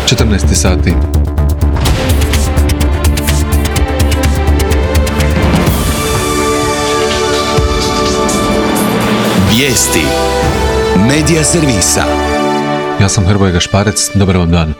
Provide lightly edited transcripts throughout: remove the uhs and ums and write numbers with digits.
14 sati. Vijesti Medija servisa. Ja sam Hrvoje Gašparec, dobar vam dan.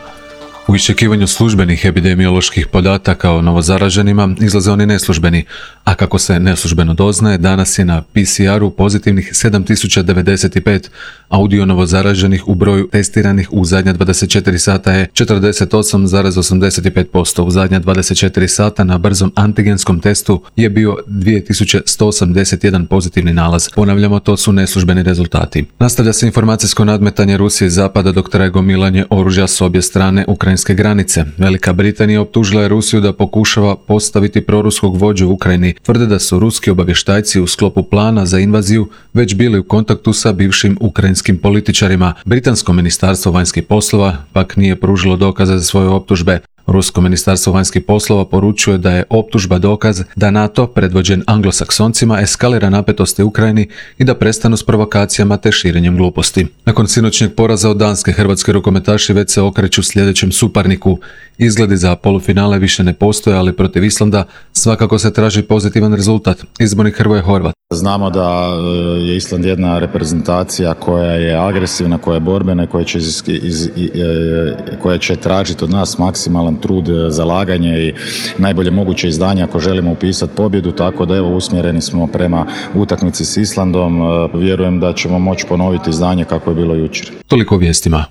U iščekivanju službenih epidemioloških podataka o novozaraženima izlaze oni neslužbeni, a kako se neslužbeno doznaje, danas je na PCR-u pozitivnih 7095, a udio novozaraženih u broju testiranih u zadnja 24 sata je 48,85%. U zadnja 24 sata na brzom antigenskom testu je bio 2181 pozitivni nalaz. Ponavljamo, to su neslužbeni rezultati. Nastavlja se informacijsko nadmetanje Rusije i Zapada dok traje gomilanje oružja s obje strane ukrajinske granice. Velika Britanija optužila je Rusiju da pokušava postaviti proruskog vođu u Ukrajini. Tvrde da su ruski obavještajci u sklopu plana za invaziju već bili u kontaktu sa bivšim ukrajinskim političarima. Britansko ministarstvo vanjskih poslova pak nije pružilo dokaze za svoje optužbe. Rusko ministarstvo vanjskih poslova poručuje da je optužba dokaz da NATO, predvođen Anglosaksoncima, eskalira napetosti u Ukrajini i da prestanu s provokacijama te širenjem gluposti. Nakon sinoćnjeg poraza od Danske, hrvatski rukometaši već se okreću sljedećem suparniku. Izgledi za polufinale više ne postoje, ali protiv Islanda svakako se traži pozitivan rezultat. Izbornik Hrvoje Horvat. Znamo da je Island jedna reprezentacija koja je agresivna, koja je borbena i koja će tražiti od nas maksimalan trud, zalaganje i najbolje moguće izdanje ako želimo upisati pobjedu, tako da evo usmjereni smo prema utakmici s Islandom. Vjerujem da ćemo moći ponoviti izdanje kako je bilo jučer. Toliko o vijestima.